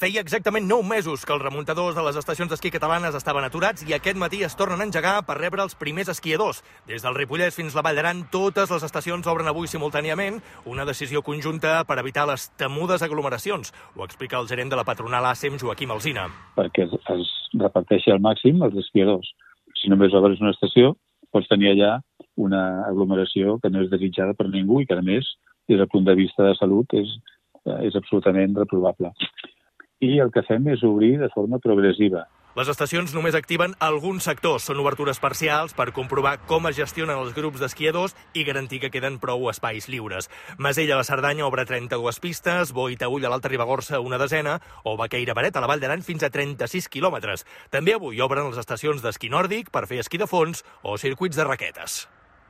Feia exactament 9 mesos que els remuntadors de les estacions d'esquí catalanes estaven aturats i aquest matí es tornen a engegar per rebre els primers esquiadors. Des del Ripollès fins la Vall d'Aran, totes les estacions obren avui simultàniament, una decisió conjunta per evitar les temudes aglomeracions. Ho explica el gerent de la patronal ASEM, Joaquim Alsina. Perquè es reparteixi al màxim els esquiadors. Si només obres una estació, pots tenir allà una aglomeració que no és desitjada per ningú i que, a més, des del punt de vista de salut, és absolutament reprovable. I el que fem és obrir de forma progressiva. Les estacions només activen alguns sectors. Són obertures parcials per comprovar com es gestionen els grups d'esquiadors i garantir que queden prou espais lliures. Masella a la Cerdanya obre 32 pistes, Boi Taüll a l'Alta Ribagorça una desena, o Baqueira Beret a la Vall d'Aran fins a 36 quilòmetres. També avui obren les estacions d'esquí nòrdic per fer esquí de fons o circuits de raquetes.